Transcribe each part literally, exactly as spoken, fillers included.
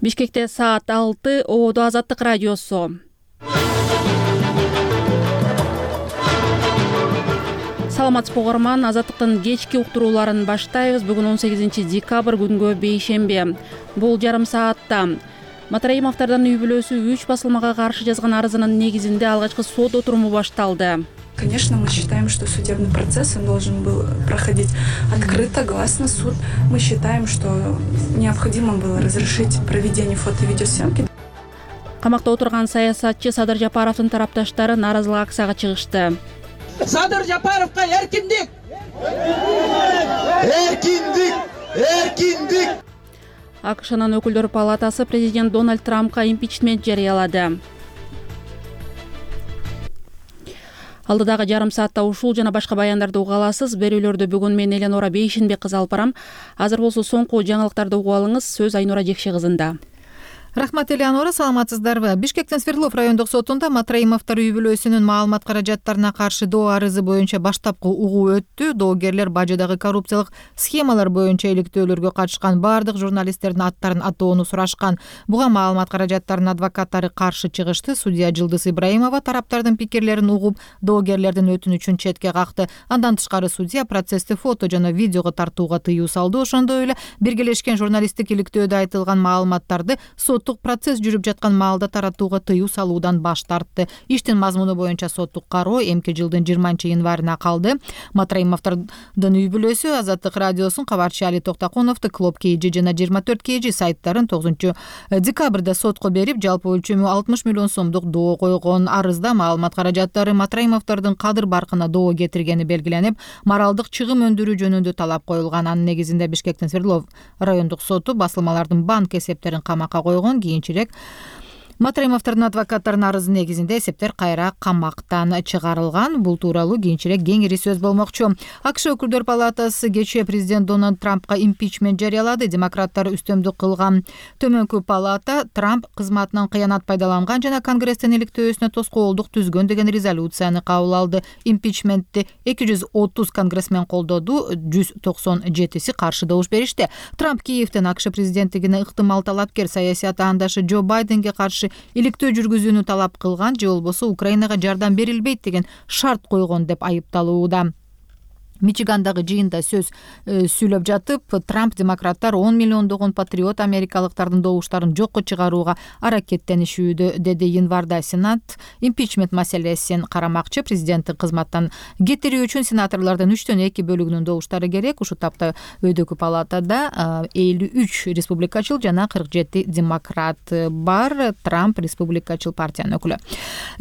Бишкекте саат алты, Ободо Азаттык радиосу. Саламатсызбы угарман, Азаттыктын кечки уктурууларын баштайбыз. Бүгүн он сегизинчи декабрь күнгө бейшемби. Бул жарым саатта Матраимовдордун үй бүлөсү үч басылмага каршы жазган арызынын негизинде алгачкы сот отуруму башталды. Конечно, мы считаем, что судебный процесс он должен был проходить открыто, гласно. Суд. Мы считаем, что необходимо было разрешить проведение фото- и видеосъемки. Камакта отурган саясатчы Садыр Жапаровдун тарапташтары нааразылык акцияга чыгышты. Садыр Жапаровго эркиндик! Эркиндик! Эркиндик! АКШнын өкүлдөр палатасы президент Дональд Трампка импичмент жарыялады. Алдыдагы жарым саатта ушул жана башка баяндарды уга аласыз. Берүүлөрдү бүгүн мен Эленора Бейшенбек кызы алып барам. Азыр болсо соңку жаңылыктарды угуп алыңыз. Сөз Айнура Жекше кызында. Рахмат, Элеонора, саламатсыздарбы? Бишкектин Свердлов райондук сотунда Матраимовдор үй бүлөсүнүн маалымат каражаттарына каршы доо арызы боюнча баштапкы угуу өттү. Доогерлер бажыдагы коррупциялык схемалар боюнча иликтөөлөргө катышкан бардык журналисттердин аттарын атоону сурашкан. Буга маалымат каражаттарынын адвокаттары каршы чыгышты. Судья Жылдыз Ибраимова тараптардын пикирлерин угуп, доогерлердин өтүнүчүн четке какты. Андан тышкары судья процессти фото жана видеого тартууга тыюу салды. Ошондой эле биргелешкен журналисттик иликтөөдө айтылган маалыматтарды сот процесс жүрүп жаткан маалда таратууга тыюу салуудан баш тартты. Иштин мазмуну боюнча соттук кароо эмки жылдын жыйырманчы январына калды. Матраимовдордун үй бүлөсү Азаттык радиосун, кабарчы Али Токтакуновду, Клоп Кейджи жана жыйырма төрт Кейджи сайттарын тогузунчу декабрда сотко берип, жалпы өлчөмү алтымыш миллион сомдук доо койгон. Арызда маалымат каражаттары Матраимовдордун кадыр баркына доо кетиргени белгиленип, моралдык чыгым өндүрүү жөнүндө талап коюлган. Анын негизинде Бишкектин Свердлов райондук соту басылмалардын банк эсептерин камакка койгон. Кийинчерээк Матраимовдордун адвокаттарынын арызы негизинде эсептер кайра камактан чыгарылган. Бул тууралуу кийинчерээк кеңири сөз болмокчу. АКШ өкүлдөр палатасы кечээ президент Дональд Трампка импичмент жарыялады. Демократтар үстөмдүк кылган төмөнкү палата Трамп кызматынан кыянат пайдаланган жана Конгресстин иликтөөсүнө тоскоолдук түзгөн деген резолюцияны кабыл алды. Импичментти эки жүз отуз конгрессмен колдоду, жүз токсон жетиси каршы добуш беришти. Трамп Киевден АКШ президенттигине ыктымал талапкер саясий атаандашы Джо Байденге каршы иликтөө жүргүзүүнү талап кылган, же болбосо Украинага жардам берилбейт деген шарт койгон деп айыпталууда. Мичигандагы жыйында сөз э, сүйлөп жатып, Трамп демократтар он миллиондогон патриот америкалыктардын добуштарын жокко чыгарууга аракеттенишүүдө, деди. Январда Сенат импичмент маселесин карамакчы. Президенттин кызматтан кетирүү үчүн сенаторлордун үчтөн эки бөлүгүнүн добуштары керек. Ушул тапта өйдөгү палатада элүү үч республикачыл жана кырк жети демократ бар. Трамп республикачыл партиянын өкүлү.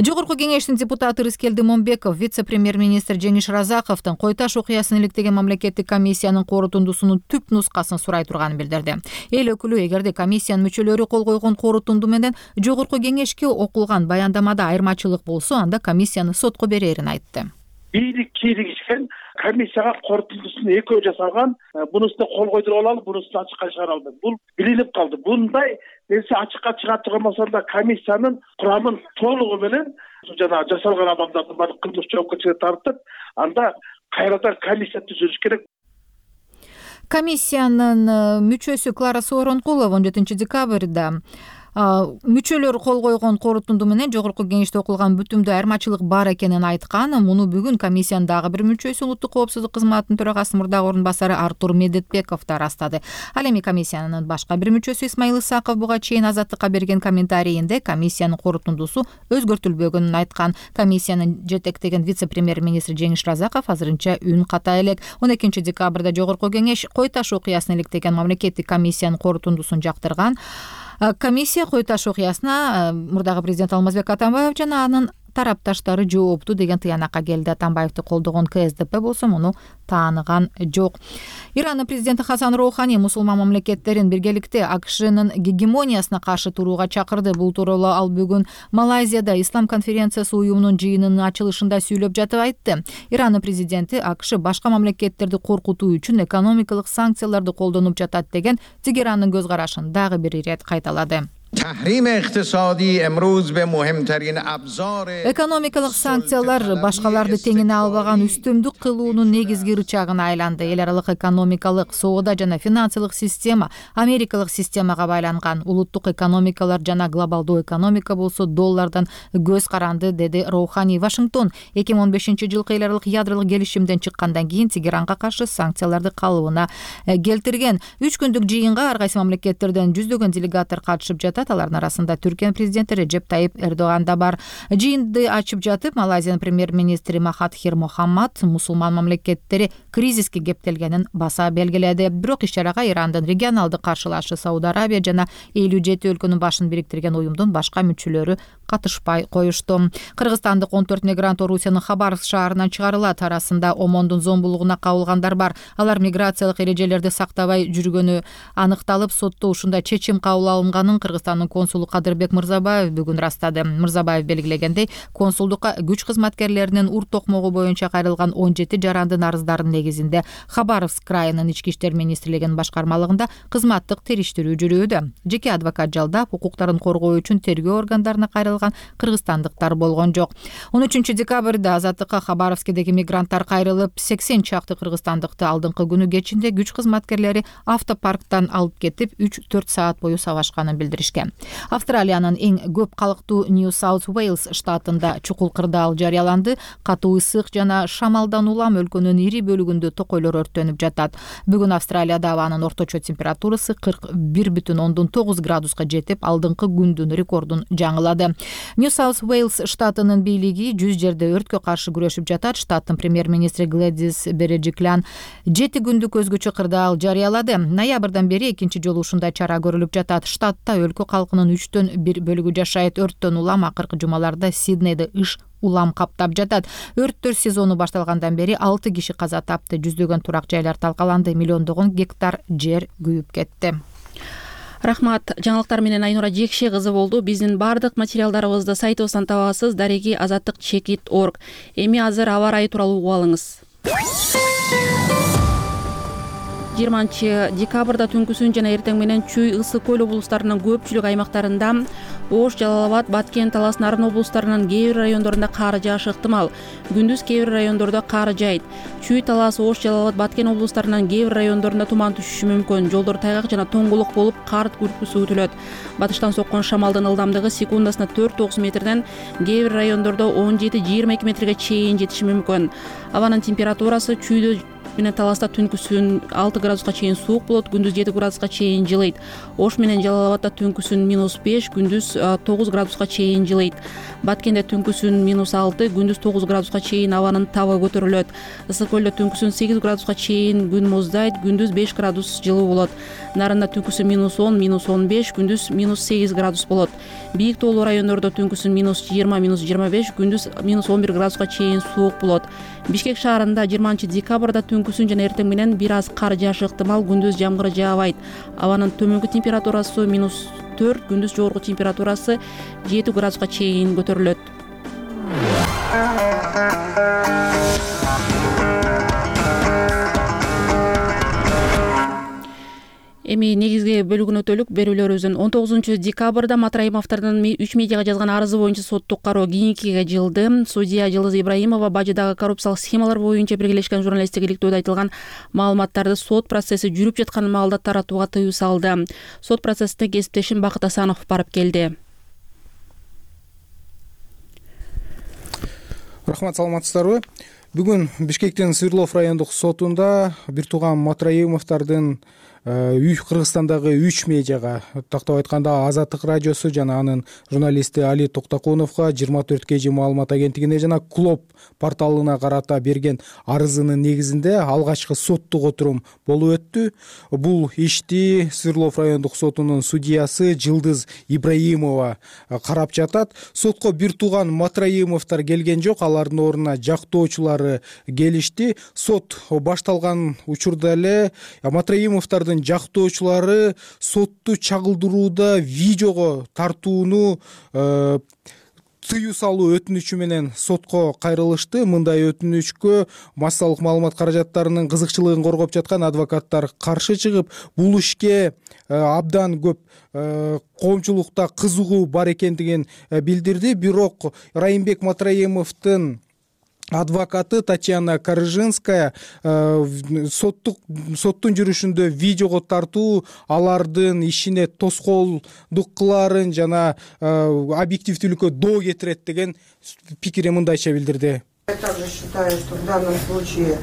Жогорку кеңештин депутаты Рыскелди Момбеков вице-премьер-министр Жеңиш Разаковдун Койташ окуясын иликтеген мамлекеттик комиссиянын корутундусунун түп нускасын сурай турганын билдирди. Эл өкүлү эгерде комиссиянын мүчөлөрү кол койгон корутунду менен жогорку кеңешке окулган баяндамада айырмачылык болсо, анда комиссияны сотко берерин айтты. Бийлик кийлигишкен комиссияга корутундусун экөө жасалган, бунусуна кол койдуруп алалы, бунусуна ачыкка чыгара албайт. Бул билинип калды. Bunday нерсе ачыкка чыга турган да комиссиянын курамын толугу менен жана жасалган адамдардын баардык кылмыш жоопкерчиликке тартып, анда кайрадан комиссия түзүлүш керек. Комиссиянын мүчөсү Клара Сооронкулова он жетинчи декабрда мүчөлөр кол койгон корутунду менен жогорку кеңеште окулган бүтүмдө айырмачылык бар экенин айткан. Муну бүгүн комиссиянын дагы бир мүчөсү, улуттук коопсуздук кызматынын төрагасынын мурдагы орун басары Артур Медетбеков да ырастады. Ал эми комиссиянын башка бир мүчөсү Исмаил Исаков буга чейин Азаттыкка берген комментарийинде комиссиянын корутундусу өзгөртүлбөгөнүн айткан. Комиссиянын жетектеген вице-премьер-министр Жеңиш Разаков азырынча үн ката элек. он экинчи декабрда жогорку кеңеш Койташ окуясын иликтеген мамлекеттик комиссиянын корутундусун жактырган. Комиссия Койташ окуясына мурдагы президент Алмазбек Атамбаев жана анын тарапташтары жоопту деген тыянакка келди. Атамбаевди колдогон Ка Эс Де Пе болсо муну тааныган жок. Иранын президенти Хасан Роухани мусулман мамлекеттерин биргеликте АКШнын гегемониясына каршы турууга чакырды. Бул тууралуу ал бүгүн Малайзияда Ислам конференциясы уюмунун жыйынынын ачылышында сүйлөп жатып айтты. Иранын президенти АКШ башка мамлекеттерди коркутуу үчүн экономикалык санкцияларды колдонуп жатат деген Тегерандын көз карашын дагы бир ирет кайталады. تحریم اقتصادی امروز به مهمترین ابزار экономикалык санкциялар башкаларды теңине албаган үстөмдүк кылуунун негизги рычагына айланды. Эл аралык экономикалык, соода жана финансылык система америкалык системага байланган. Улуттук экономикалар жана глобалдуу экономика болсо доллардан көз каранды, деди Роухани. Вашингтон эки миң он бешинчи жылкы эл аралык ядролук келишимден чыккандан кийин Тегеранга каршы санкцияларды калыбына келтирген. Үч күндүк жыйынга ар кайсы мамлекеттерден жүздөгөн делегаттар катышып жатат. Алардын арасында Түркия президенти Реджеп Тайип Эрдоган да бар. Жыйынды ачып жатып, Малайзиянын премьер-министри Махатхир Мохаммад мусулман мамлекеттери кризиске кептелгенин баса белгиледи. Бирок иш-чарага Ирандын регионалдык каршылашы Сауд Арабия жана элүү жети өлкөнүн башын бириктирген уюмдун башка мүчөлөрү катышпай коюшту. Кыргызстандык он төрт мигрант Орусиянын Хабаровск шаарынан чыгарылат. Арасында Омондун зомбулугуна кабылгандар бар. Алар миграциялык эрежелерди сактабай жүргөнү аныкталып, сотто ушундай чечим кабыл алынганын Кыргызстандын консулу Кадырбек Мырзабаев бүгүн ырастады. Мырзабаев белгилегендей, консулдукка күч кызматкерлеринин ур токмогу боюнча кайрылган он жети жарандын арыздарынын негизинде Хабаровск крайынын ички иштер министрлигинин башкармалыгында кызматтык териштирүү жүрүүдө. Жеке адвокат жалдап, укуктарын коргоо үчүн тергөө органдарына кайрылган кыргызстандыктар болгон жок. он үчүнчү декабрда Азаттыкка Хабаровскдеги мигранттар кайрылып, сексен чакты кыргызстандыкты алдыңкы күнү кечинде күч кызматкерлери автопарктан алып кетип, үч төрт саат бою сабашканын билдиришкен. Австралиянын эң көп калктуу Нью-Саут-Уэйлс штатында чукул кырдаал жарыяланды. Катуу ысык жана шамалдан улам өлкөнүн ири бөлүгүндө токойлор өрттөнүп жатат. Бүгүн Австралияда абанын орточо температурасы кырк бир бүтүн ондон тогуз градуска жетип, алдыңкы күндүн рекордун жаңылады. Нью-Саут-Уэйлс штатынын бийлиги жүз жерде өрткө каршы күрөшүп жатат. Штаттын премьер-министри Глэдис Бережиклян жети күндүк өзгөчө кырдаал жарыялады. Ноябрдан бери экинчи жолу ушундай чара көрүлүп жатат. Штатта өлкө калкынын үчтөн бир бөлүгү жашайт. Өрттөн улам акыркы жумаларда Сиднейде иш улам каптап жатат. Өрттөр сезону башталгандан бери алты киши каза тапты. Жүздөгөн турак жайлар талкаланды. Миллиондогон гектар жер күйүп кетти. Рахмат. Жаңылыктар менен Айнура Жекше кызы болду. Биздин бардык материалдарыбызды сайтыбыздан табасыз. Дареги азаттык чекит точка орг. Эми азыр аба ырайы тууралуу угуп алыңыз. жыйырманчы декабрда түнкүсүн жана эртең менен Чүй, Ысык көл облустарынын көпчүлүк аймактарында, Ош, Жалал Абад, Баткен, Талас, Нарын облустарынын кээ бир райондорунда кар жаашы ыктымал. Күндүз кээ бир райондордо кар жайт. Чүй, Талас, Ош, Жалал Абад, Баткен облустарынын кээ бир райондорунда туман түшүшү мүмкүн. Жолдор тайгак жана тоңголук болуп, кар күркүсү күтүлөт. Батыштан соккон шамалдын ылдамдыгы секундасына төрт тогуз метрден кээ бир райондордо он жети жыйырма эки метрге чейин жетиши мүмкүн. Абанын температурасы Чүйдө менен Таласта түнкүсүн алты градуска чейин суук болот, күндүз жети градуска чейин жылыйт. Ош менен Жалал Абадда түнкүсүн минус беш, күндүз тогуз градуска чейин жылыйт. Баткенде түнкүсүн минус алты, күндүз тогуз градуска чейин абанын табы көтөрүлөт. Ысык көлдө түнкүсүн сегиз градуска чейин күн муздайт, күндүз беш градус жылуу болот. Нарында түнкүсүн минус он, минус он беш, күндүз минус сегиз градус болот. Бийик тоолуу райондордо түнкүсүн минус жыйырма, минус жыйырма беш, күндүз минус он бир градуска чейин суук болот. Бишкек шаарында жыйырманчы декабрда түнкүсүн жана эртең менен бир аз кар жаашы ыктымал, күндүз жамгыр жаабайт. Абанын төмөнкү температурасы минус төрт, күндүз жогорку температурасы жети градуска чейин көтөрүлөт. Эми негизги бөлүгүнө өтөлүк берүүлөрүбүздүн он тогузунчу декабрда Матраимовдордун үч медиага жазган арызы боюнча соттук кароо кийинкиге жылды. Судья Жылыз Ибраимова бажыдагы коррупциялык схемалар боюнча Биргелешкен журналисттик иликтөөдө айтылган маалыматтарды сот процесси жүрүп жаткан маалда таратууга тыюу салды. Сот процессте кесиптешим Бакыт Асанов барып келди. Рахмат, саламатсыздарбы? Бүгүн Бишкектин Свердлов райондук сотунда бир тууган Матраимовдордун үй Кыргызстандагы үч медиага, тактап айтканда Азаттык радиосу жана анын журналисти Али Токтокуновго жыйырма төрт кей жи маалымат агенттигине жана Клоп порталына карата берген арызынын негизинде алгачкы соттук отурум болуп өттү. Бул ишти Свердлов райондук сотунун судьясы Жылдыз Ибраимова карап жатат. Сотко бир тууган Матраимовдор келген жок, алардын ордуна жактоочулары келишти. Сот башталган учурда эле Матраимовдордун жактоочулары сотту чагылдырууда видеого тартууну тыюу салуу өтүнүчү менен сотко кайрылышты. Мындай өтүнүчкө массалык маалымат каражаттарынын кызыкчылыгын коргоп жаткан адвокаттар каршы чыгып, бул ишке абдан көп коомчулукта кызыгуу бар экендигин билдирди. Бирок Райымбек Матраимовдун адвокаты Татьяна Карыжинская соттук соттун жүрүшүндө видеого тартуу алардын ишине тоскоолдук кылаарын жана объективдүүлүккө доо кетирет деген пикирин мындайча билдирди. Я также считаю, что в данном случае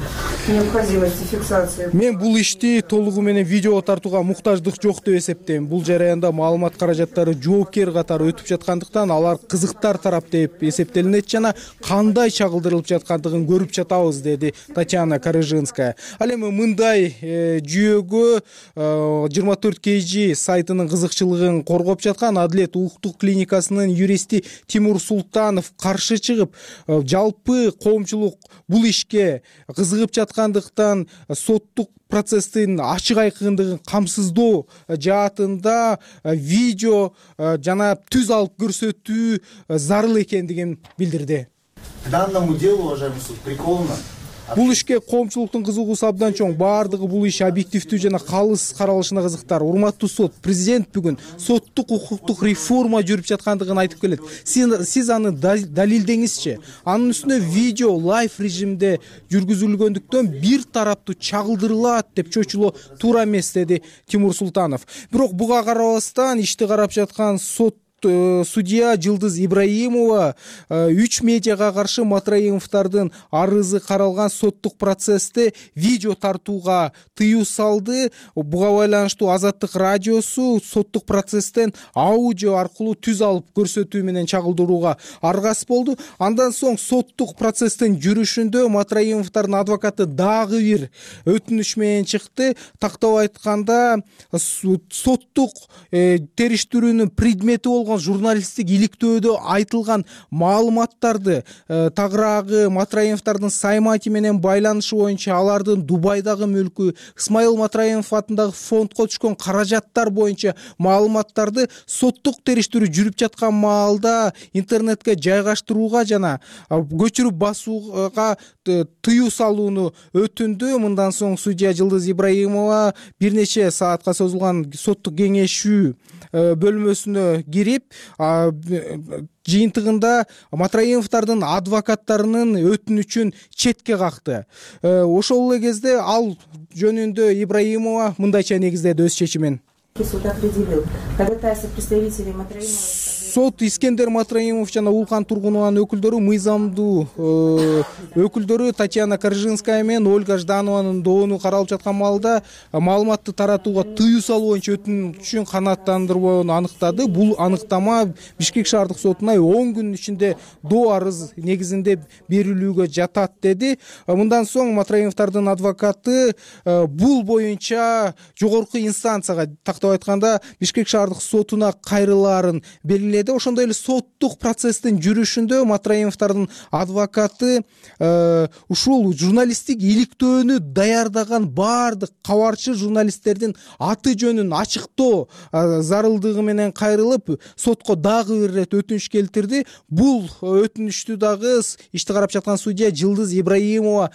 необходимости фиксации. Мен бул ишти толугу менен видеого тартууга муктаждык жок деп эсептейм. Бул жараянда маалымат каражаттары жоопкер катары өтүп жаткандыктан алар кызыктар тарап деп эсептелинет жана кандай чагылдырылып жаткандыгын көрүп жатабыз, деди Татьяна Карыжинская. Ал эми мындай жүйөгө жыйырма төрт кей жи сайтынын кызыкчылыгын коргоп жаткан Адилет улуттук клиникасынын юристи Тимур Султанов каршы чыгып, жалпы коомчулук бул ишке кызыгып жаткандыктан соттук процесстин ачык айкындыгын камсыздоо жаатында видео жана түз алып көрсөтүү зарыл экендигин билдирди. Данному делу, уважаемый суд, приколно. Бул ишке коомчулуктун кызыгуусу абдан чоң. Баардыгы бул иш объективдүү жана калыс каралышына кызыктар. Урматтуу сот, президент бүгүн соттук укуктук реформа жүрүп жаткандыгын айтып келет. Сиз аны далилдеңизчи. Анын үстүнө видео лайв режимде жүргүзүлгөндүктөн бир тараптуу чагылдырылат деп чочулоо туура эмес, деди Тимур Султанов. Бирок буга карабастан ишти карап жаткан сот судья Жылдыз Ибраимова үч медиага каршы Матраимовдордун арызы каралган соттук процессте видео тартууга тыюу салды. Буга байланыштуу Азаттык радиосу соттук процесстен аудио аркылуу түз алып көрсөтүү менен чагылдырууга аргасыз болду. Андан соң соттук процесстин жүрүшүндө Матраимовдордун адвокаты дагы бир өтүнүч менен чыкты. Тактап айтканда, соттук териштирүүнүн предмети болгон журналисттик иликтөөдө айтылган маалыматтарды тагыраагы Матраимовдордун Саймати менен байланышы боюнча алардын Дубайдагы мүлкү, Исмаил Матраимов атындагы фондко түшкөн каражаттар боюнча маалыматтарды соттук териштирүү жүрүп жаткан маалда интернетке жайгаштырууга жана көчүрүп басууга тыюу салууну өтүндү. Мындан соң судья Жылдыз Ибраимова бир нече саатка созулган соттук кеңешүү бөлмөсүнө кирип, жыйынтыгында Матраимовдордун адвокаттарынын өтүнүчүн четке какты. Ошол эле кезде ал жөнүндө Ибраимова мындайча негиздеди өз чечимин. Суд определил, ходатайство представителей Матраимова. Сот Искендер Матраимов жана Улкан Тургунованын өкүлдөрү, мыйзамдуу өкүлдөрү Татьяна Карыжинская менен Ольга Жданованын доону каралып жаткан маалда маалыматты таратууга тыюу салуу боюнча өтүнүчүн канааттандырбоону аныктады. Бул аныктама Бишкек шаардык сотуна он күн ичинде доо арыз негизинде берилүүгө жатат, деди. Мындан соң Матраимовдордун адвокаты бул боюнча жогорку инстанцияга, тактап айтканда Бишкек шаардык сотуна кайрылаарын белгиледи. Ошондой эле соттук процесстин жүрүшүндө Матраимовдордун адвокаты ушул журналисттик иликтөөнү даярдаган баардык кабарчы журналисттердин аты жөнүн ачыктоо зарылдыгы менен кайрылып, сотко дагы бир ирет өтүнүч келтирди. Бул өтүнүчтү дагы ишти карап жаткан судья Жылдыз Ибраимова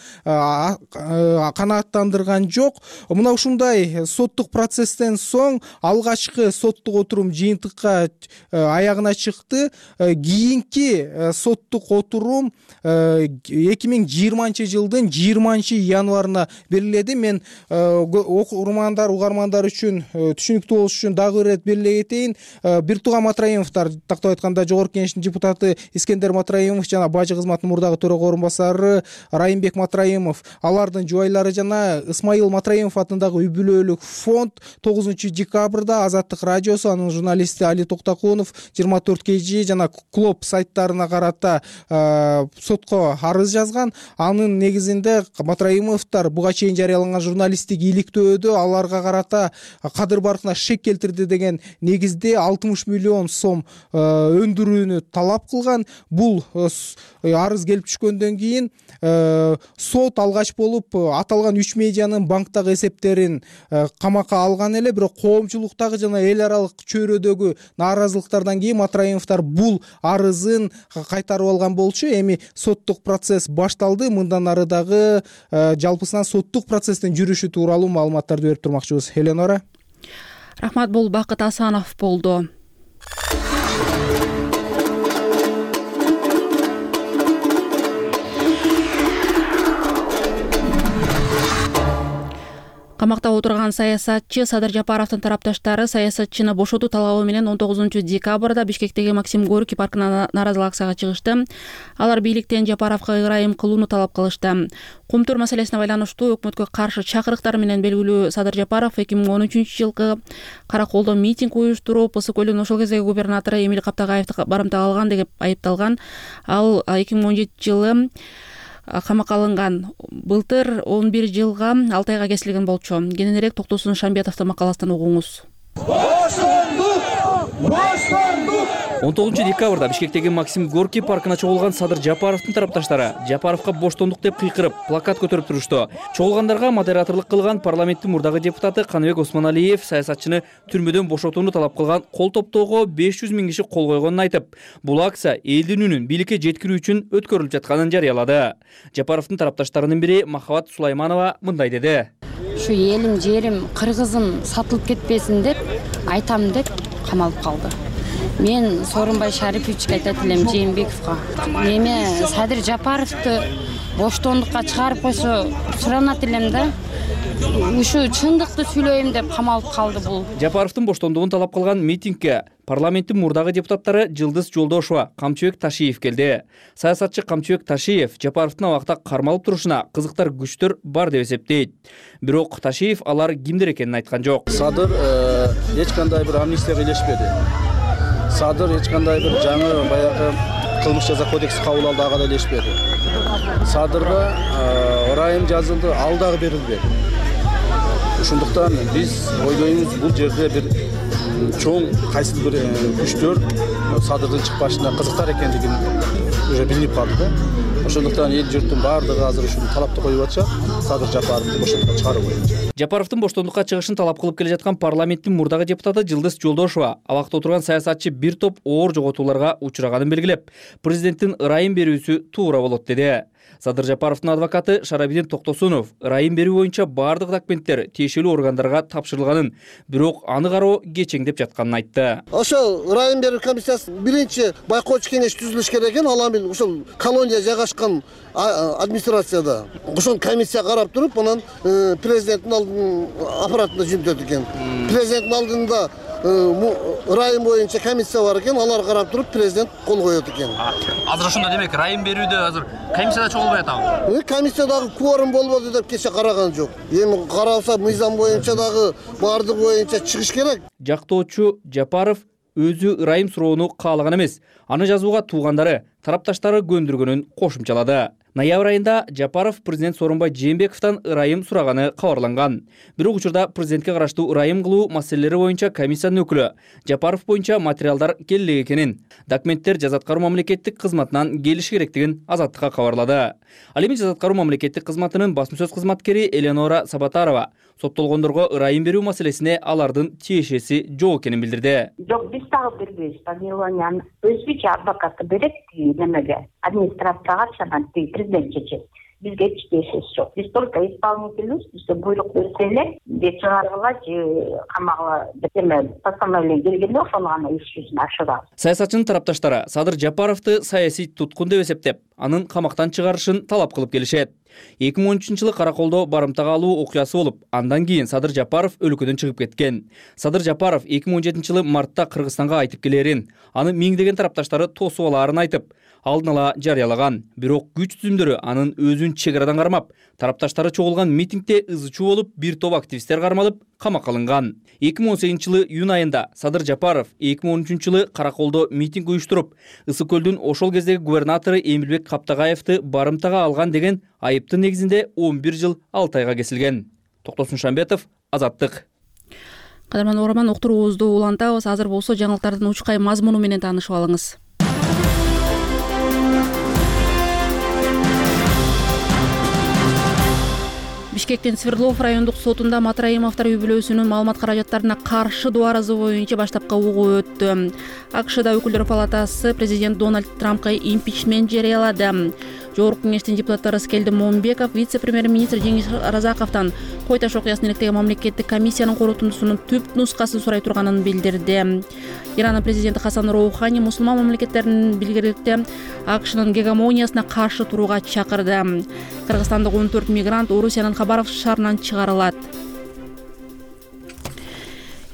канааттандырган жок. Мына ушундай соттук процесстен соң алгачкы соттук отурум жыйынтыкка аягына чыкты. Кийинки соттук отурум эки миң жыйырманчы жылдын жыйырманчы январына белгиледи. Мен окурмандар, угармандар үчүн түшүнүктүү болуш үчүн дагы бир ирет белгилей кетейин. Бир тууган Матраимовдор, тактап айтканда Жогорку Кеңештин депутаты Искендер Матраимов жана бажы кызматынын мурдагы төрага орун басары Райымбек Матраимов, алардын жубайлары жана Исмаил Матраимов атындагы үй бүлөлүк фонд тогузунчу декабрда Азаттык радиосу, анын журналисти Али Токтакунов жыйырма төрт кей жи жана Клоп сайттарына карата сотко арыз жазган. Анын негизинде Матраимовдор буга чейин жарыяланган журналисттик иликтөөдө аларга карата кадыр баркына шек келтирди деген негизде алтымыш миллион сом өндүрүүнү талап кылган. Бул арыз келип түшкөндөн кийин сот алгач болуп аталган үч медианын банктагы эсептерин камакка алган эле, бирок коомчулуктагы жана эл аралык чөйрөдөгү нааразылыктардан кийин Матраимовдор бул арызын кайтарып алган болчу. Эми соттук процесс башталды. Мындан ары дагы жалпысынан соттук процесстин жүрүшү тууралуу маалыматтарды берип турмакчыбыз. Эленора. Рахмат, бул Бакыт Асанов болду. Камакта отурган саясатчы Садыр Жапаровдун тарапташтары саясатчыны бошотуу талабы менен он тогузунчу декабрда Бишкектеги Максим Горький паркына наразылык акцияга чыгышты. Алар бийликтен Жапаровго ырайым кылууну талап кылышты. Кумтур маселесине байланыштуу өкмөткө каршы чакырыктар менен белгилүү Садыр Жапаров эки миң он үчүнчү жылкы Караколдо митинг уюштуруп, Ысык көлдүн ошол кездеги губернатору Эмиль Каптагаевди барымтага алган деп айыпталган. Ал эки миң он жетинчи жылы камакка алынган. Былтыр он бир жылга алты айга кесилген болчу. Кененирээк Токтосун Шамбетовдун макаласынан угуңуз. он тогузунчу декабрда Бишкектеги Максим Горький паркына чогулган Садыр Жапаровдун тарапташтары Жапаровго боштондук деп кыйкырып, плакат көтөрүп турушту. Чогулгандарга модераторлук кылган парламенттин мурдагы депутаты Каныбек Осмоналиев саясатчыны түрмөдөн бошотууну талап кылган кол топтоого беш жүз миң киши кол койгонун айтып, бул акция элдин үнүн бийликке жеткирүү үчүн өткөрүлүп жатканын жарыялады. Жапаровдун тарапташтарынын бири Махабат Сулайманова мындай деди. Ушу элим, жерим, кыргызым сатылып кетпесин деп айтам деп камалып калды. Мен Сооронбай Шариповичке айтат элем, Жээнбековго. Эме Садыр Жапаровду боштондукка чыгарып койсо суранат элем да. Ушу чындыкты сүйлөйм деп камалып калды бул. Жапаровдун боштондугун талап кылган митингге парламенттин мурдагы депутаттары Жылдыз Жолдошова, Камчыбек Ташиев келди. Саясатчы Камчыбек Ташиев Жапаровдун абакта кармалып турушуна кызыктар күчтөр бар деп эсептейт. Бирок Ташиев алар кимдер экенин айткан жок. Садыр эч кандай бир амнистияга илешпеди. Садыр эч кандай бир жаңы баягы кылмыш жаза кодекси кабыл алды, ага да илешпеди. Садырга ырайым жазылды, ал дагы берилбеди. Ошондуктан биз ойлойбуз, бул жерде бир чоң кайсы бир күчтөр Садырдын чыкпашына кызыктар экендигин уже билинип калды да. Ошондуктан эл журттун баардыгы азыр ушул талапты коюп атышат, Садыр Жапаровду боштондукка чыгаруу боюнча. Жапаровдун боштондукка чыгышын талап кылып келе жаткан парламенттин мурдагы депутаты Жылдыз Жолдошова абакта отурган саясатчы бир топ оор жоготууларга учураганын белгилеп, президенттин ырайым берүүсү туура болот деди. Садыр Жапаровдун адвокаты Шарабидин Токтосунов ырайым берүү боюнча баардык документтер тиешелүү органдарга тапшырылганын, бирок аны кароо кечеңдеп жатканын айтты. Ошол ырайым берүү комиссиясы биринчи байкоочу кеңеш түзүлүш керек экен, ал эми ошол колония жайгашкан администрацияда. Ошол комиссия карап туруп, анан президенттин алдын аппаратына жүктөт экен. Президенттин алдында ырайым боюнча комиссия бар экен, алар карап туруп президент кол коет экен. Азыр ошондо демек ырайым берүүдө азыр комиссияда чогулбай атабы? Комиссиядагы кворум болбоду деп кече караган жок. Эми каралса мыйзам боюнча дагы баардыгы боюнча чыгыш керек. Жактоочу Жапаров өзү ырайым суроону каалаган эмес, аны жазууга туугандары, тарапташтары көндүргөнүн кошумчалады. Ноябрь айында Жапаров президент Сооронбай Жээнбековдон ырайым сураганы кабарланган. Бирок учурда президентке караштуу ырайым кылуу маселелери боюнча комиссиянын өкүлү Жапаров боюнча материалдар келе экенин, документтер Жаза аткаруу мамлекеттик кызматынан келиши керектигин Азаттыкка кабарлады. Ал эми Жаза аткаруу мамлекеттик кызматынын басма сөз кызматкери Эленора Сабатарова соттолгондорго ырайым берүү маселесине алардын тиешеси жок экенин билдирди. Жок, биз дагы бербейбиз. Помилованияны өзбүчө адвокаты берет немеге, администрацияга чанат президент чечет. Бизге эч тиешеси жок. Биз только исполнительбиз, бизге буйрук берсе эле, же чыгаргыла, же камагыла деме постановление келгенде ошону гана иш жүзүнө ашырабыз. Саясатчынын тарапташтары Садыр Жапаровду саясий туткун деп эсептеп, анын камактан чыгарышын талап кылып келишет. эки миң он үчүнчү жылы Караколдо барымтага алуу окуясы болуп, андан кийин Садыр Жапаров өлкөдөн чыгып кеткен. Садыр Жапаров эки миң он жетинчи жылы мартта Кыргызстанга айтып келерин, аны миңдеген тарапташтары тосуп алаарын айтып, алдын ала жарыялаган. Бирок күч түзүмдөрү анын өзүн чек арадан кармап, тарапташтары чогулган митингде ызы чуу болуп, бир топ активисттер кармалып, камакка алынган. эки миң он сегизинчи жылы июнь айында Садыр Жапаров эки миң он үчүнчү жылы Караколдо митинг уюштуруп, Ысык көлдүн ошол кездеги губернатору Эмилбек Каптагаевди барымтага алган деген айыптын негизинде он бир жыл алты айга кесилген. Токтосун Шамбетов, Азаттык. Кадырман угарман, уктуруубузду улантабыз. Азыр болсо жаңылыктардын учкай мазмуну менен таанышып алыңыз. Бишкектин Свердлов райондук сотунда Матраимовдор үй бүлөсүнүн маалымат каражаттарына каршы доо арызы боюнча баштапкы угуу өттү. АКШда өкүлдөр палатасы президент Дональд Трампка импичмент жарыялады. Жогорку кеңештин депутаттары Скелди Момбеков вице-премьер-министр Жеңиш Разаковдон Кой Таш окуясын иликтеген мамлекеттик комиссиянын корутундусунун түп нускасын сурай турганын билдирди. Иранын президенти Хасан Роухани мусулман мамлекеттеринин билгеликте АКШнын гегемониясына каршы турууга чакырды. Кыргызстандык он төрт мигрант Орусиянын Хабаровск шаарынан чыгарылат.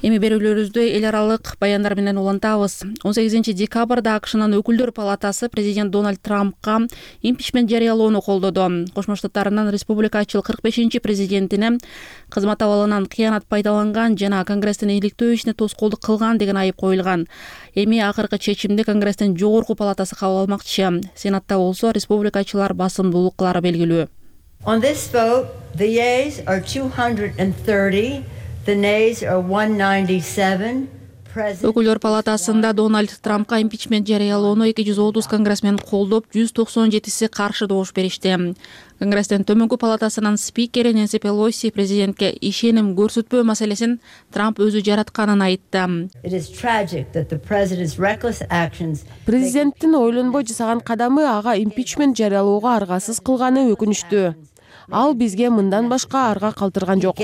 Эми берүүлөрүбүздү эл аралык баяндар менен улантабыз. он сегизинчи декабрда АКШнын өкүлдөр палатасы президент Дональд Трампка импичмент жарыялоону колдоду. Кошмо Штаттарынын республикачыл кырк бешинчи президентине кызмат абалынан кыянат пайдаланган жана Конгресстин иликтөө ишине тоскоолдук кылган деген айып коюлган. Эми акыркы чечимди Конгресстин жогорку палатасы кабыл алмакчы. Сенатта болсо республикачылар басымдуулук кылары белгилүү. On this vote, the yeas are two hundred thirty. The nays are one ninety-seven. Өкүлдөр палатасында Дональд Трампка импичмент жарыялоону эки жүз отуз конгрессмен колдоп, жүз токсон жетиси каршы добуш беришти. Конгресстин төмөнкү палатасынын спикери Нэнси Пелоси президентке ишеним көрсөтпөө маселесин Трамп өзү жаратканын айтты. Президенттин ойлонбой жасаган кадамы ага импичмент жарыялоого аргасыз кылганы өкүнүчтүү. Ал бизге мындан башка арга калтырган жок.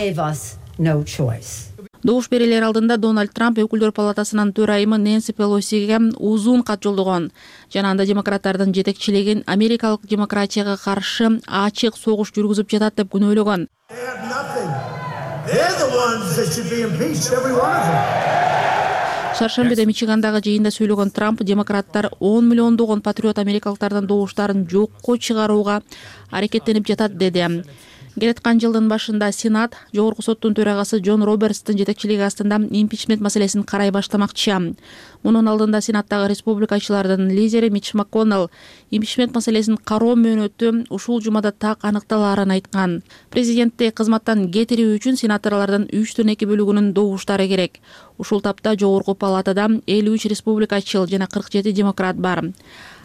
No choice. Добуш берилер алдында Дональд Трамп өкүлдөр палатасынын төрайымы Нэнси Пелосиге узун кат жолдогон. Жана анда демократтардын жетекчилигин америкалык демократияга каршы ачык согуш жүргүзүп жатат деп күнөөлөгөн. Шаршембиде Мичигандагы жыйында сүйлөгөн Трамп демократтар он миллиондогон патриот америкалыктардын добуштарын жокко чыгарууга аракеттенип жатат деди. Келаткан жылдын башында Сенат жогорку соттун төрагасы Джон Робертстин жетекчилиги астында импичмент маселесин карай баштамакчы. Мунун алдында Сенаттагы республикачылардын лидери Митч МакКоннелл импичмент маселесин кароо мөөнөтү ушул жумада так аныкталаарын айткан. Президентти кызматтан кетирүү үчүн сенаторлордун үчтөн эки бөлүгүнүн добуштары керек. Ушул тапта жогорку палатада элүү үч республикачыл жана кырк жети демократ бар.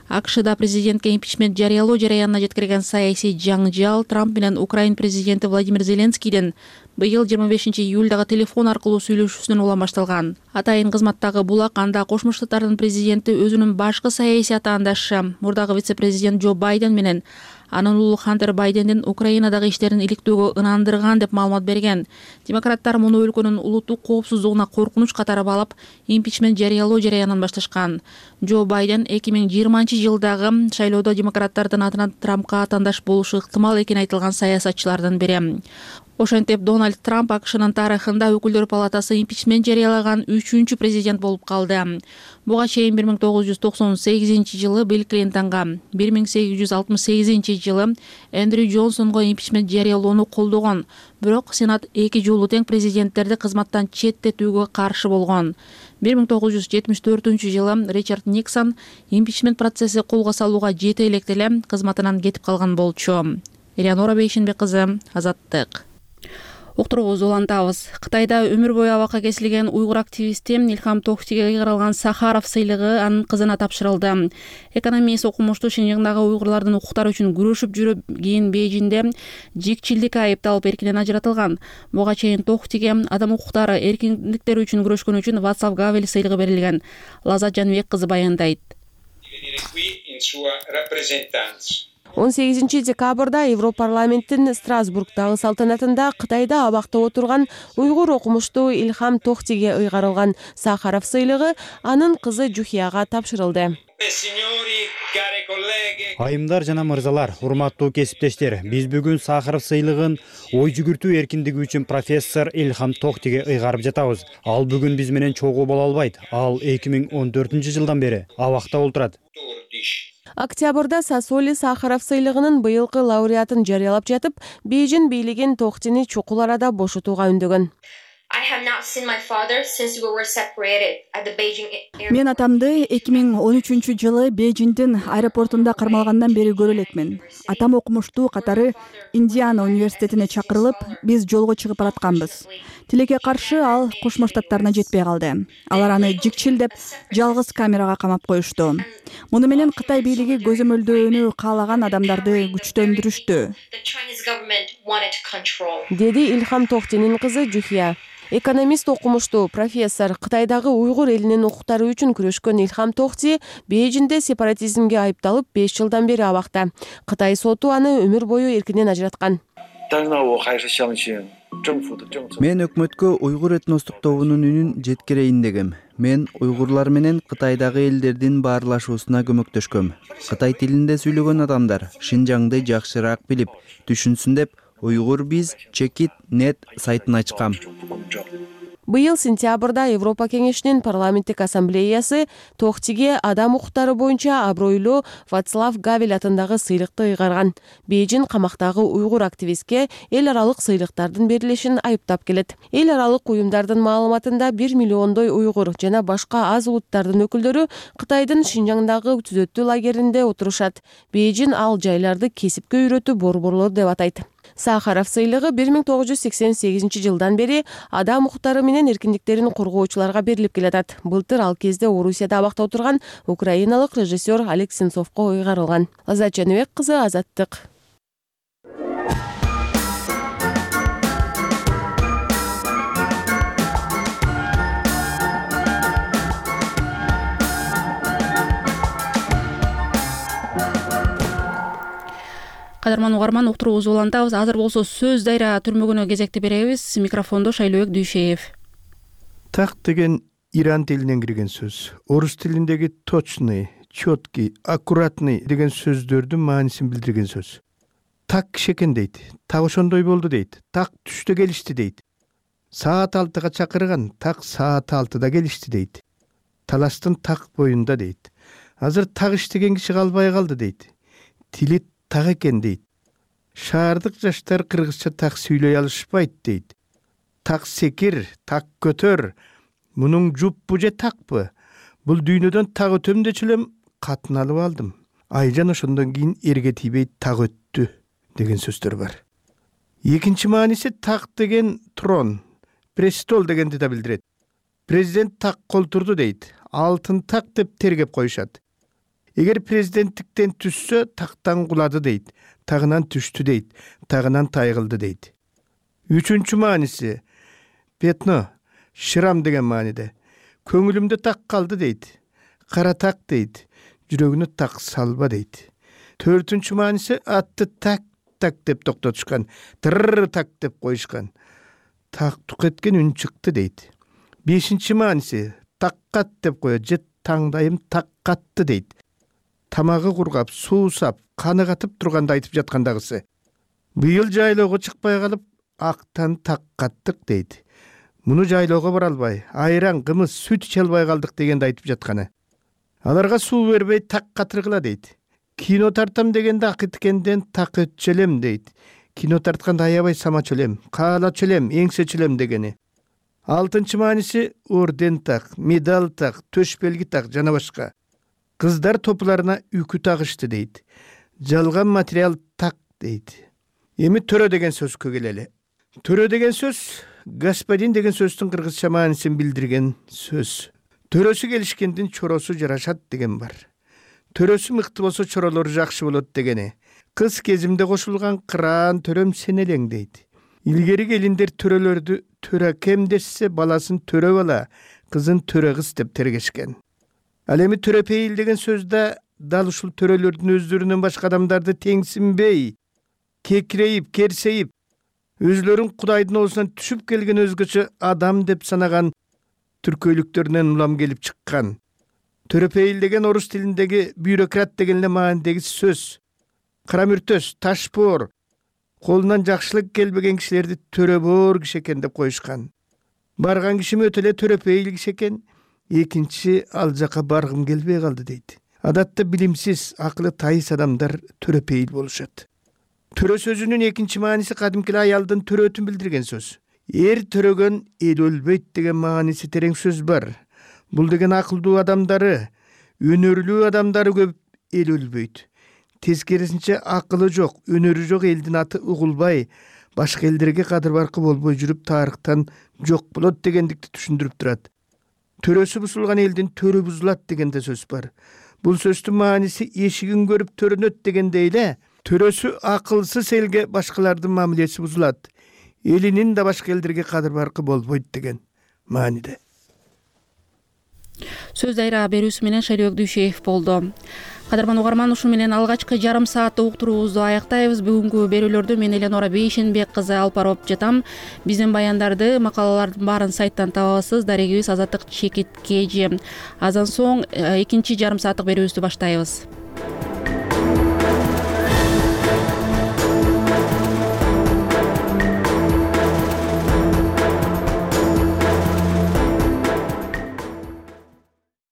АКШда президентке импичмент жарыялоо жараянына жеткирген саясий жаңжал Трамп менен Украин президенти Владимир Зеленскийдин быйыл жыйырма бешинчи июлдагы телефон аркылуу сүйлөшүүсүнөн улам башталган. Атайын кызматтагы булак анда Кошмо Штаттардын президенти өзүнүн башкы саясий атаандашы мурдагы вице-президент Джо Байден менен анын уулу Хантер Байдендин Украинадагы иштерин иликтөөгө ынандырган деп маалымат берген. Демократтар муну өлкөнүн улуттук коопсуздугуна коркунуч катары балап, импичмент жарыялоо жараянын башташкан. Джо Байден эки миң жыйырманчы жылдагы шайлоодо демократтардын атынан Трампка атаандаш болушу ыктымал экени айтылган саясатчылардын бири. Ошентип Дональд Трамп АКШнын тарыхында өкүлдөр палатасы импичмент жарыялаган үчүнчү президент болуп калды. Буга чейин бир миң тогуз жүз токсон сегизинчи жылы Билл Клинтонго, бир миң сегиз жүз алтымыш сегизинчи жылы Эндрю Джонсонго импичмент жарыялоону колдогон. Бирок Сенат эки жолу тең президенттерди кызматтан четтетүүгө каршы болгон. бир миң тогуз жүз жетимиш төртүнчү жылы Ричард Никсон импичмент процесси колго салууга жете электе эле кызматынан кетип калган болчу. Элеонора Бейшенбек кызы, Азаттык. Уктуруубузду улантабыз. Кытайда өмүр бою абакка кесилген уйгур активисти Илхам Тохтиге ыйгарылган Сахаров сыйлыгы анын кызына тапшырылды. Экономист окумуштуу Шинжаңдагы уйгурлардын укуктары үчүн күрөшүп жүрүп, кийин Бейжиңде жикчилдикке айыпталып эркинен ажыратылган. Буга чейин Тохтиге адам укуктары, эркиндиктери үчүн күрөшкөн үчүн Вацлав Гавел сыйлыгы берилген. Лазат Жаныбек кызы баяндайт. он сегизинчи декабрда Европарламенттин Страсбургдагы салтанатында Кытайда абакта отурган уйгур окумуштуу Илхам Тохтиге ыйгарылган Сахаров сыйлыгы анын кызы Жухияга тапшырылды. Айымдар жана мырзалар, урматтуу кесиптештер, биз бүгүн Сахаров сыйлыгын ой жүгүртүү эркиндиги үчүн профессор Илхам Тохтиге ыйгарып жатабыз. Ал бүгүн биз менен чогуу боло албайт. Ал эки миң он төртүнчү жылдан бери абакта отурат. Октябрда Сасоли Сахаров сыйлыгынын быйылкы лауреатын жарыялап жатып, Бейжиң бийлигин Тохтини чукул арада бошотууга үндөгөн. Мен атамды эки миң он үчүнчү жылы Бейжиңдин аэропортунда кармалгандан бери көрө элекмин. Атам окумуштуу катары Индиана университетине чакырылып, биз жолго чыгып баратканбыз. Тилекке каршы ал Кошмо Штаттарына жетпей калды. Алар аны жикчилдеп, жалгыз камерага камап коюшту. Муну менен Кытай бийлиги көзөмөлдөөнү каалаган адамдарды күчтөндүрүштү. деди Илхам Тохтинин кызы Жухия. Экономист окумуштуу профессор Кытайдагы уйгур элинин укуктары үчүн күрөшкөн Илхам Тохти Бейжиңде сепаратизмге айыпталып беш жылдан бери абакта. Кытай соту аны өмүр бою эркинен ажыраткан. Мен өкмөткө уйгур этностук тобунун үнүн жеткирейин дегем. Мен уйгурлар менен Кытайдагы элдердин баарлашуусуна көмөктөшкөм. Кытай тилинде сүйлөгөн адамдар Шинжаңды жакшыраак билип, түшүнсүн деп Уйгур биз Чекит нет сайтын ачкам. Быйыл сентябрда Европа кеңешинин парламенттик ассамблеясы Тохтиге адам укуктары боюнча абройлуу Вацлав Гавел атындагы сыйлыкты ыйгарган. Бейжиң камактагы уйгур активистке эл аралык сыйлыктардын берилишин айыптап келет. Эл аралык уюмдардын маалыматында бир миллиондой уйгур жана башка аз улуттардын өкүлдөрү Кытайдын Шинжаңдагы түзөтүү лагеринде отурушат. Бейжиң ал жайларды кесипке үйрөтүү борборлор деп атайт. Сахаров сыйлыгы бир миң тогуз жүз сексен сегизинчи жылдан бери адам укуктары менен эркиндиктерин коргоочуларга берилип келатат. Былтыр ал кезде Орусияда абакта отурган украиналык режиссер Олег Сенцовго ыйгарылган. Азат Жаныбек кызы, Азаттык. Кадырман угарман, уктуруубузду улантабыз. Азыр болсо сөз дайра түрмөгүнө кезекти беребиз. Микрофондо Шайлообек Дүйшеев. Так деген иран тилинен кирген сөз. Орус тилиндеги точный, четкий, аккуратный деген сөздөрдүн маанисин билдирген сөз. Так киши экен дейт. Так ошондой болду дейт. Так түштө келишти дейт. Саат алтыга чакырган, так саат алтыда келишти дейт. Таластын так боюнда дейт. Азыр так иштеген киши калбай калды дейт. Тили так экен дейт. Шаардык жаштар кыргызча так сүйлөй алышпайт дейт. Так секир, так көтөр. Мунун жуппу же такпы? Бул дүйнөдөн так өтөм дечү элем катын алып алдым. Айжан ошондон кийин эрге тийбей так өттү деген сөздөр бар. Экинчи мааниси так деген трон, престол дегенди да билдирет. Президент так колтурду дейт. Алтын так деп тергеп коюшат. Эгер президенттиктен түссө, тактан кулады дейт. Тагынан түштү дейт. Тагынан тайгылды дейт. Үчүнчү мааниси петно, шрам деген мааниде. Көңүлүмдө так калды дейт. Кара так дейт. Жүрөгүнө так салба дейт. Төртүнчү мааниси атты так так деп токтотушкан. Тырр так деп коюшкан. Так тук эткен үн чыкты дейт. Бешинчи мааниси таккат деп коет же таңдайым так катты дейт. Тамагы кургап, суусап, каны катып турганда айтып жаткандагысы. Быйыл жайлоого чыкпай калып, актан так каттык дейт. Муну жайлоого бара албай, айран, кымыз, сүт иче албай калдык дегенди айтып жатканы. Аларга суу бербей так катыргыла дейт. Кино тартам дегенде акыткенден так өтчөлөм дейт. Кино тартканда аябай самачу элем, каалачу элем, эңсечү элем дегени. Алтынчы мааниси орден так, медаль так, төш белги так жана башка. Кыздар топларына үкү тагышты дейт. Жалган материал так дейт. Эми төрө деген сөзгө келели. Төрө деген сөз господин деген сөздүн кыргызча маанисин билдирген сөз. Төрөсү келишкендин чоросу жарашат деген бар. Төрөсү мыкты болсо чоролору жакшы болот дегени. Кыз кезимде кошулган кыраан төрөм сен элең дейт. Илгери келиндер төрөлөрдү төрө кем дешсе баласын төрө бала, кызын төрө кыз деп тергешкен. Ал эми төрөпейил деген сөздө дал ушул төрөлөрдүн өздөрүнөн башка адамдарды теңсинбей, кекирейип, керсейип, өзлөрүн Кудайдын оозунан түшүп келген өзгөчө адам деп санаган түркөйлүктөрүнөн улам келип чыккан. Төрөпейил деген орус тилиндеги бюрократ деген эле маанидеги сөз. Карамүртөс, ташбоор, колунан жакшылык келбеген кишилерди төрөбоор киши экен деп коюшкан. Барган кишим өтө эле төрөпейил киши экен. Экинчи ал жака баргым келбей калды дейт. Адатта билимсиз, акылы тайыс адамдар төрөпейил болушат. Төрө сөзүнүн экинчи мааниси кадимки аялдын төрөтүн билдирген сөз. Эр төрөгөн эл өлбөйт деген мааниси терең сөз бар. Бул деген акылдуу адамдары, өнөрлүү адамдары көп эл өлбөйт. Тескерисинче акылы жок, өнөрү жок элдин аты угулбай, башка элдерге кадыр баркы болбой жүрүп тарыхтан жок болот дегендикти түшүндүрүп турат. Төрөсү бузулган элдин төрө бузулат дегенде сөз бар. Бул сөздүн мааниси эшигин көрүп төрөнөт дегенде эле төрөсү акылсыз элге башкалардын мамилеси бузулат, элинин да башка элдерге кадыр баркы болбойт деген мааниде. Сөз дайра берүүсү менен Шайлоок Дүйшеев болду. Кадырман угарман, ушу менен алгачкы жарым сааттык уктуруубузду аяктайбыз. Бүгүнкү берүүлөрдү мен Эленора Бейшенбек кызы алып барып жатам. Биздин баяндарды, макалалардын баарын сайттан табасыз. Дарегибиз Азаттык чекит кж. Аздан соң экинчи жарым сааттык берүүбүздү баштайбыз.